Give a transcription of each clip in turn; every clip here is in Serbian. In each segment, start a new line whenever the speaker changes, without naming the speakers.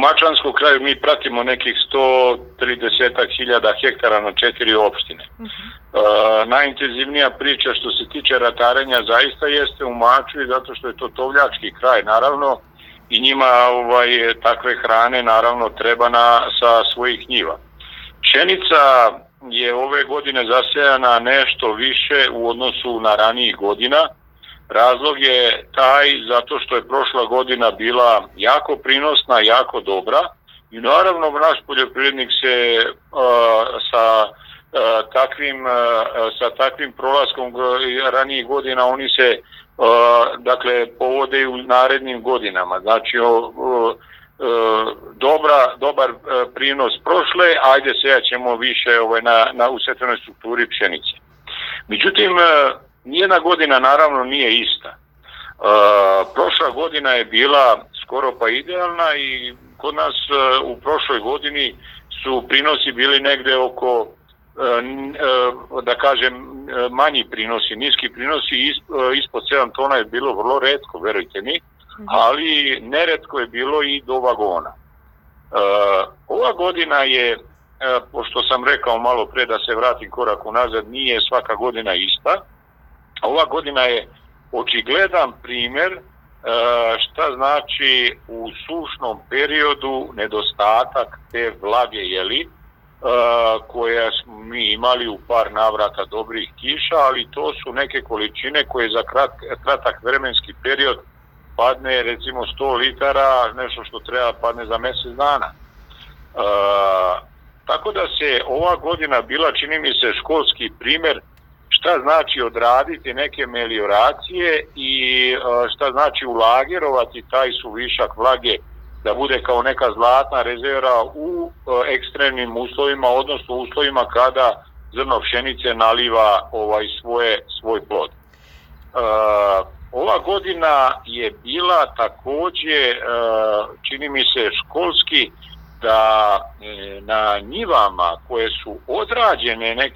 U Mačvanskom kraju mi pratimo nekih 130.000 hektara na 4 opštine. Najintenzivnija priča što se tiče ratarenja zaista jeste u Mačvi, zato što je to tovljački kraj, naravno, i njima takve hrane naravno treba sa svojih njiva. Pšenica je ove godine zasejana nešto više u odnosu na ranijih godina. Razlog je taj zato što je prošla godina bila jako prinosna, jako dobra i naravno naš poljoprivrednik se sa takvim prolaskom ranijih godina oni se povode u narednim godinama. Znači dobar prinos prošle, ajde sejat ćemo više u setvenoj strukturi pšenice. Međutim, nijedna godina naravno nije ista. Prošla godina je bila skoro pa idealna i kod nas u prošloj godini su prinosi bili negde oko, da kažem, manji prinosi, niski prinosi, ispod 7 tona je bilo vrlo retko, verujte mi, ali neretko je bilo i do vagona. Ova godina je, pošto sam rekao malo pre da se vratim korak unazad, nije svaka godina ista. Ova godina je očigledan primer šta znači u sušnom periodu nedostatak te vlage, koje smo mi imali u par navrata dobrih kiša, ali to su neke količine koje za kratak vremenski period padne recimo 100 litara, nešto što treba padne za mjesec dana. Tako da se ova godina bila, čini mi se, školski primer šta znači odraditi neke melioracije i šta znači ulagerovati taj suvišak vlage da bude kao neka zlatna rezerva u ekstremnim uslovima, odnosno uslovima kada zrno pšenice naliva svoj plod. Ova godina je bila takođe, čini mi se, školski, da na njivama koje su odrađene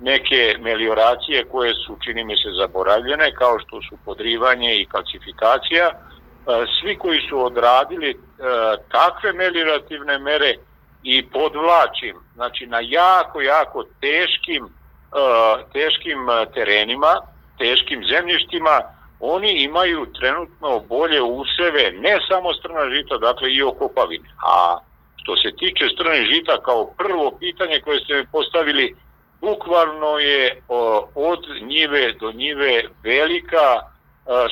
neke melioracije koje su, čini mi se, zaboravljene, kao što su podrivanje i kalcifikacija, svi koji su odradili takve meliorativne mere i podvlačim, znači na jako teškim terenima, teškim zemljištima, oni imaju trenutno bolje useve, ne samo strna žita, dakle i okopavine. A što se tiče strne žita, kao prvo pitanje koje ste mi postavili, bukvalno je od njive do njive velika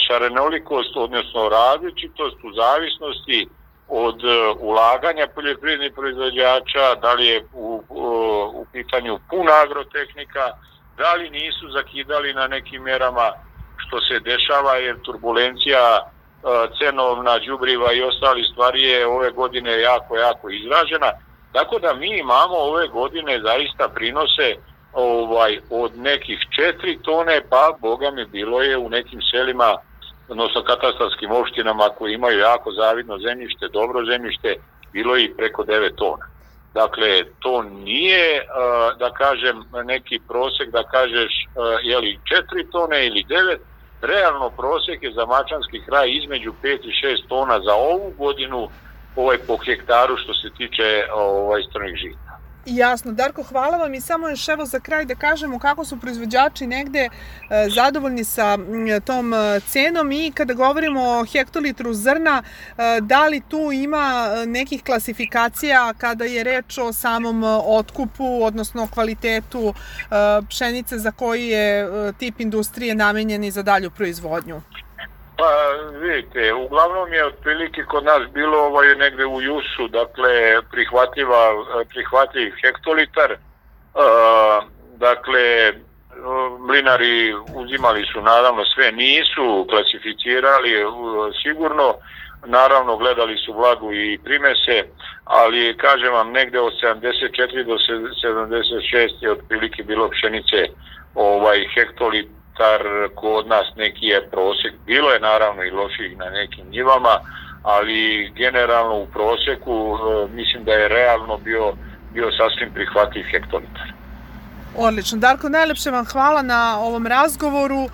šarenolikost, odnosno različitost u zavisnosti od ulaganja poljoprivrednih proizvođača, da li je u pitanju puna agrotehnika, da li nisu zakidali na nekim merama, što se dešava jer turbulencija cenovna, đubriva i ostali stvari je ove godine jako izražena. Tako da mi imamo ove godine zaista prinose od nekih 4 tone, pa boga mi bilo je u nekim selima, odnosno katastarskim opštinama koji imaju jako zavidno zemljište, dobro zemljište, bilo je i preko 9 tona. Dakle, to nije, da kažem, neki prosek da kažeš jeli 4 tone ili 9, realno prosek je za mačvanski kraj između 5 i 6 tona za ovu godinu po hektaru što se tiče strnih žita.
Jasno. Darko, hvala vam i samo još evo za kraj da kažemo kako su proizvođači negde zadovoljni sa tom cenom i kada govorimo o hektolitru zrna, da li tu ima nekih klasifikacija kada je reč o samom otkupu, odnosno kvalitetu pšenice za koji je tip industrije namenjen za dalju proizvodnju?
Pa vidite, uglavnom je otprilike kod nas bilo negde u jusu, dakle prihvatljiv hektolitar, dakle mlinari uzimali su naravno sve, nisu klasificirali sigurno, naravno gledali su vlagu i primese, ali kažem vam negde od 74 do 76 je otprilike bilo pšenice hektolitar, kod nas neki je prosek, bilo je naravno i loših na nekim njivama, ali generalno u proseku mislim da je realno bio sasvim prihvatljiv hektolitar.
Odlično. Darko, najlepše vam hvala na ovom razgovoru.